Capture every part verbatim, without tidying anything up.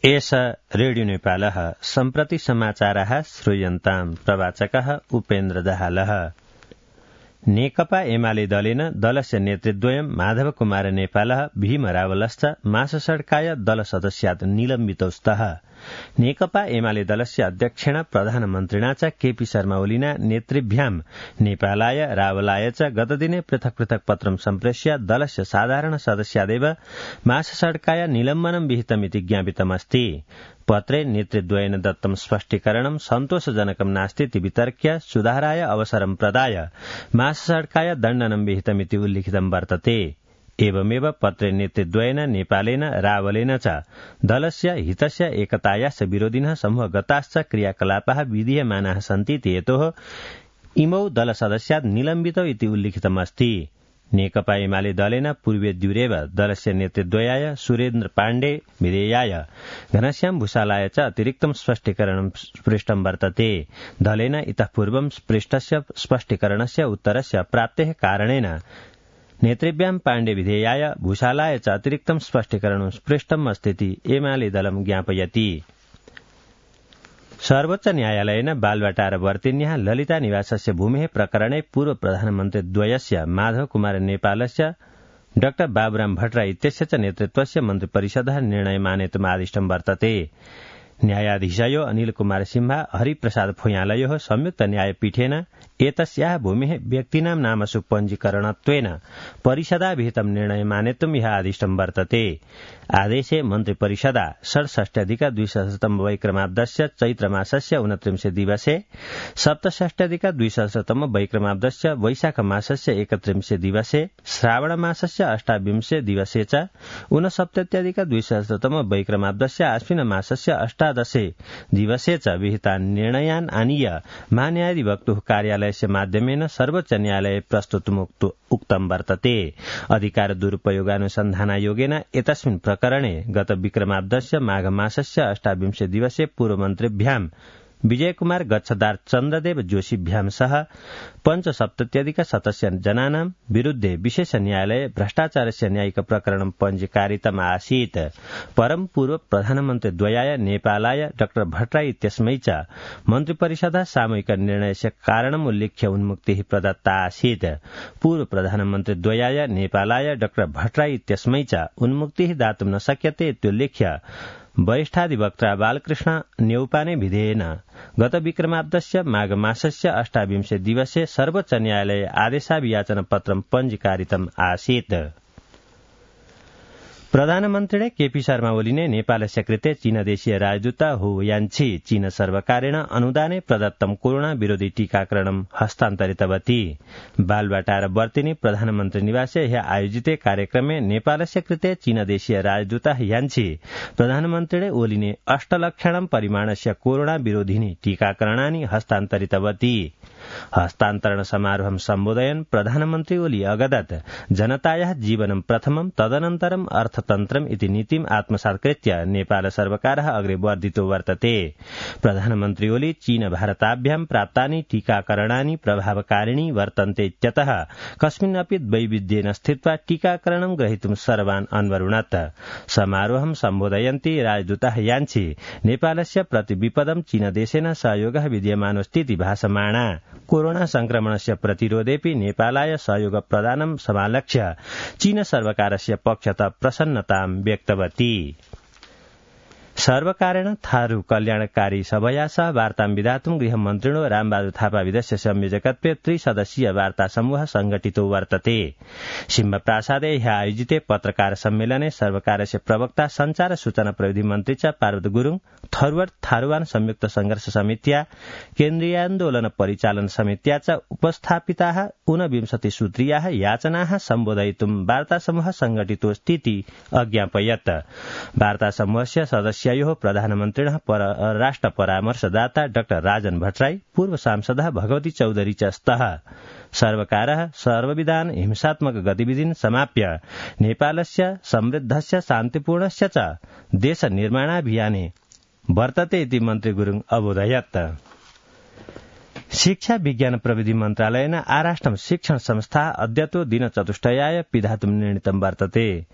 एष रेडियो नेपालः सम्प्रति समाचारः श्रूयन्ताम् प्रवाचकः उपेन्द्र दाहालः। नेकपा एमाले दलेन दलस्य नेतृद्वयं माधव कुमार नेपालः भीम रावलश्च माससड्काय दलसदस्यात् निलम्बितौ स्तः। नेकपा एमाले दलस्य अध्यक्षेण प्रधानमन्त्रिणा च केपी शर्मा ओलिना नेतृभ्यां नेपालाय रावलाय च गतदिने पृथक् पृथक् पत्रं सम्प्रेष्य दलस्य साधारण सदस्यादेव माससड्काय निलम्बनं विहितमिति ज्ञापितमस्ति। पत्रे नेतृद्वयेन दत्तं स्पष्टीकरणं सन्तोषजनकं नास्तीति वितर्क्य सुधाराय अवसरं प्रदाय माससड्काय दण्डनं विहितमिति उल्लिखितं वर्तते। एवमेव पत्रे नेतृद्वयेन नेपालेन रावलेन च दलस्य हितस्य एकतायाश्च विरोधिनः समूहगताश्च क्रियाकलापाः विधीयमानाः सन्तीति हेतोः इमौ दलसदस्यात् निलम्बितौ इति उल्लिखितमस्ति। नेकपा एमाले दलेन पूर्वेद्युरेव दलस्य नेतृद्वयाय सुरेन्द्र पाण्डे विधेयाय घनश्याम भूषालाय च अतिरिक्तं स्पष्टीकरणं पृष्टं वर्तते। दलेन इतः पूर्वं पृष्टस्य स्पष्टीकरणस्य उत्तरस्य प्राप्तेः कारणेन नेतृभ्यां पाण्डे विधेयाय भूषालाय च अतिरिक्तं स्पष्टीकरणं पृष्टम् अस्तीति एमाले दलं ज्ञापयति। सर्वोच्च न्यायालयेन बालवाटारवर्तिन्याः ललिता निवासस्य भूमेः प्रकरणे पूर्व प्रधानमन्त्री द्वयस्य माधव कुमार नेपालस्य डाक्टर बाबुराम भट्टराई इत्यस्य च नेतृत्वस्य मन्त्रिपरिषदः निर्णयमानेतुम् आदिष्टं वर्तते। न्यायाधीशयो अनिल कुमार सिंहा हरिप्रसाद फुयालयोः संयुक्त न्यायपीठेन एतस्याः भूमेः व्यक्तीनां नामसु पञ्जीकरणत्वेन परिषदा विहितं निर्णयमानेतुम् यः आदिष्टं वर्तते। आदेशे मन्त्रिपरिषदा षड्षष्ट्यधिक द्विसहस्रतम वैक्रमाब्दस्य चैत्रमासस्य ऊनत्रिंशे दिवसे सप्तषष्ट्यधिक द्विसहस्रतम वैक्रमाब्दस्य वैशाखमासस्य एकत्रिंशे दिवसे श्रावणमासस्य अष्टाविंशे दिवसे च ऊनसप्तत्यधिक द्विसहस्रतम वैक्रमाब्दस्य आश्विनमासस्य अष्टादशे दिवसे च विहितान् निर्णयान् आनीय महान्यायाधिवक्तुः कार्यालयस्य माध्यमेन सर्वोच्च न्यायालये प्रस्तुतुम् उक्तं वर्तते। अधिकार दुरुपयोगानुसन्धानायोगेन एतस्मिन् प्रकरणे गत विक्रमाब्दस्य माघमासस्य अष्टाविंशे दिवसे पूर्वमन्त्रिभ्यां विजयकुमार गच्छदार चन्द्रदेव जोशीभ्यां सह पञ्चसप्तत्यधिक शतस्य जनानां विरुद्धे विशेष न्यायालये भ्रष्टाचारस्य न्यायिक प्रकरणं पञ्जीकारितम् आसीत्। परं पूर्व प्रधानमन्त्री द्वयाय नेपालाय डाक्टर भट्टराई इत्यस्मै च मन्त्रिपरिषदः सामूहिक निर्णयस्य कारणम् उल्लिख्य उन्मुक्तिः प्रदत्ता आसीत्। पूर्व प्रधानमन्त्री द्वयाय नेपालाय डाक्टर भट्टराई इत्यस्मै च उन्मुक्तिः दातुं न शक्यते इत्युल्लिख्य वरिष्ठाधिवक्ता बालकृष्ण न्यौपाने विधेयेन गत विक्रमाब्दस्य माघमासस्य अष्टाविंशे दिवसे सर्वोच्च न्यायालये आदेशाभियाचन पत्रं पञ्जीकारितम् आसीत्। प्रधानमन्त्रिणे केपी शर्मा ओलीने नेपालस्य कृते चीनदेशीय राजदूत हु यान्छी चीन सर्वकारेण अनुदाने प्रदत्तं कोरोना विरोधी टीकाकरणं हस्तान्तरितवती। बालवाटारवर्तिनी प्रधानमन्त्री निवासे ह्यः आयोजिते कार्यक्रमे नेपालस्य कृते चीनदेशीय राजदूत यान्छी प्रधानमन्त्रिणे ओलीने अष्टलक्षणं परिमाणस्य कोरोना विरोधिनी टीकाकरणानि हस्तान्तरितवती। हस्तान्तरण समारोहं सम्बोधयन् प्रधानमन्त्री ओली अगदत् जनतायाः जीवनं प्रथमं तदनन्तरम् अर्थतन्त्रम् इति नीतिम् आत्मसात्कृत्य नेपाल सर्वकारः अग्रे वर्धितो वर्तते। प्रधानमन्त्री ओली चीन भारताभ्यां प्राप्तानि टीकाकरणानि प्रभावकारिणी वर्तन्ते इत्यतः कस्मिन्नपि द्वैविध्येन स्थित्वा टीकाकरणं ग्रहीतुं सर्वान् अन्वरुणत्। समारोहं सम्बोधयन्ती राजदूतः यान्छी नेपालस्य प्रतिविपदं चीनदेशेन सहयोगः विद्यमानोऽस्तीति भाषमाणा। कोरोना संक्रमणस्य प्रतिरोधेऽपि नेपालाय सहयोग प्रदानं समालक्ष्य चीन सर्वकारस्य पक्षतः प्रसन्नतां व्यक्तवती। सर्वकारेण थारू कल्याणकारी सभया सह वार्तां विधातुं गृहमन्त्रिणो रामबहादुर थापा विदस्य संयोजकत्वे त्रिसदस्यीय वार्ता समूह संघटितो वर्तते। सिंहप्रासादे ह्यः आयोजिते पत्रकार सम्मेलने सर्वकारस्य प्रवक्ता संचार सूचना प्रविधि मन्त्री च पार्वत गुरुङ थरूर थारूवान संयुक्त संघर्ष समित्या केन्द्रीयान्दोलन परिचालन समित्या च उपस्थापिताः ऊनविंशति सूत्रीयाः याचनाः सम्बोधयितुं वार्ता समूह संघटितोऽस्तीति अज्ञापयत्। वार्ता समूहस्य सदस्य प्रधानमन्त्रिणः परराष्ट्र परामर्शदाता डाक्टर राजन भट्टराई पूर्व सांसदः भगवती चौधरी च स्तः। सर्वकारः सर्वविधान हिंसात्मक गतिविधिन् समाप्य नेपालस्य समृद्धस्य शान्तिपूर्णस्य च देश निर्माणाभियाने वर्तते इति मन्त्री गुरुङ अबोधयत्। शिक्षा विज्ञान प्रविधि मन्त्रालयेन आराष्ट्रं शिक्षण संस्था अद्यतो दिनचतुष्टयाय पिधातुं निर्णीतं वर्तते।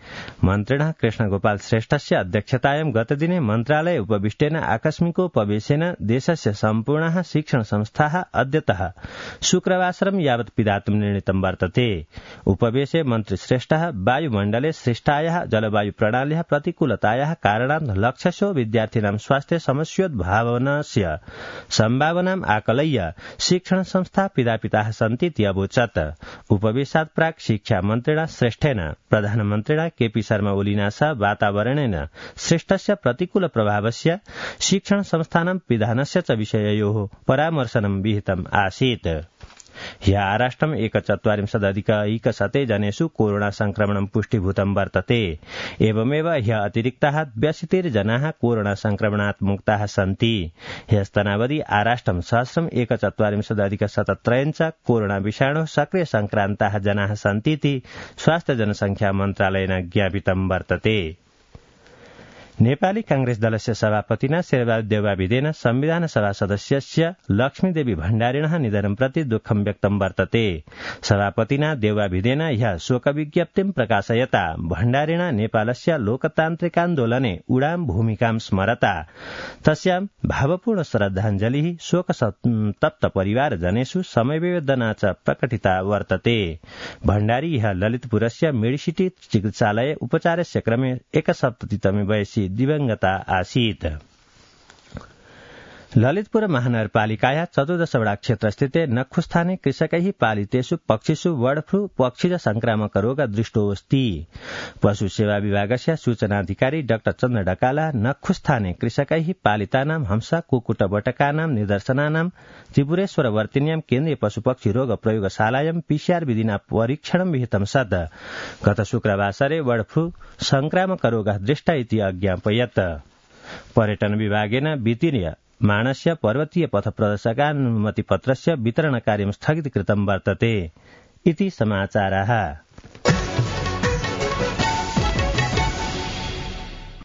मन्त्रिणः कृष्णगोपाल श्रेष्ठस्य अध्यक्षतायां गतदिने मन्त्रालय उपविष्टेन आकस्मिकोपवेशेन देशस्य सम्पूर्णाः शिक्षण संस्थाः अद्यतः शुक्रवासरं यावत् पिधातुं निर्णीतं वर्तते। उपवेशे मन्त्री श्रेष्ठः वायुमण्डले सृष्टायाः जलवायु प्रणाल्याः प्रतिकूलतायाः कारणात् लक्षशो विद्यार्थिनां स्वास्थ्य समस्योद्भावनस्य सम्भावनाम् आकलय्य शिक्षण संस्था पिधापिताः सन्तीति अवोचत्। उपवेशात् प्राक् शिक्षा मन्त्रिणा श्रेष्ठेन प्रधानमन्त्रिणा केपी शर्मा ओलिना सह वातावरणेन सृष्टस्य प्रतिकूल प्रभावस्य शिक्षण संस्थानां पिधानस्य च विषययोः परामर्शनं विहितम् आसीत्। ह्यः आराष्ट्रम् एकचत्वारिंशदधिकैकशते जनेषु कोरोना संक्रमणं पुष्टिभूतं वर्तते। एवमेव ह्यः अतिरिक्ताः द्व्यशीतिर्जनाः कोरोना संक्रमणात् मुक्ताः सन्ति। ह्यस्तनावधि आराष्ट्रं सहस्रम् एकचत्वारिंशदधिकशतत्रयञ्च कोरोना विषाणोः सक्रिय संक्रान्ताः जनाः सन्तीति स्वास्थ्य जनसंख्या मन्त्रालयेन ज्ञापितं वर्तते। नेपाली कांग्रेस दलस्य सभापतिना शेरबहादुर देउवाभिदेन संविधान सभा सदस्यस्य लक्ष्मीदेवी भण्डारिणः निधनं प्रति दुःखं व्यक्तं वर्तते। सभापतिना देउवाभिदेन ह्यः शोकविज्ञप्तिं प्रकाशयता भण्डारिणा नेपालस्य लोकतान्त्रिकान्दोलने उडाम भूमिकां स्मरता तस्यां भावपूर्ण श्रद्धाञ्जलिः शोकसन्तप्त परिवारजनेषु समवेदना च प्रकटिता वर्तते। भण्डारी ह्यः ललितपुरस्य मेडिसिटी चिकित्सालये उपचारस्य क्रमे एकसप्ततितमे वयसि दिवंगता आसीत्। ललितपुर महानगरपालिकाया चतुर्दशवटा क्षेत्रस्थिते नखुस्थाने कृषकैः पालितेषु पक्षिषु बर्ड फ्लू पक्षिज संक्रामक रोग दृष्टोऽस्ति। पशु सेवा विभागस्य सूचनाधिकारी डाक्टर चन्द्र ढकाला नखुस्थाने कृषकैः पालितानां हंसा कुक्कुटबटकानां निदर्शनानां त्रिपुरेश्वरवर्तिन्यां केन्द्रीय पशुपक्षी रोग प्रयोगशालायां पीसीआर विधिना परीक्षणं विहितं सत् गत शुक्रवासरे बर्ड फ्लू संक्रामक रोगः दृष्ट इति अज्ञापयत्। पर्यटन विभागेन वित्तीय मानस्य पर्वतीय पथ प्रदर्शकानुमतिपत्रस्य वितरण कार्यं स्थगित कृतं वर्तते इति समाचारः।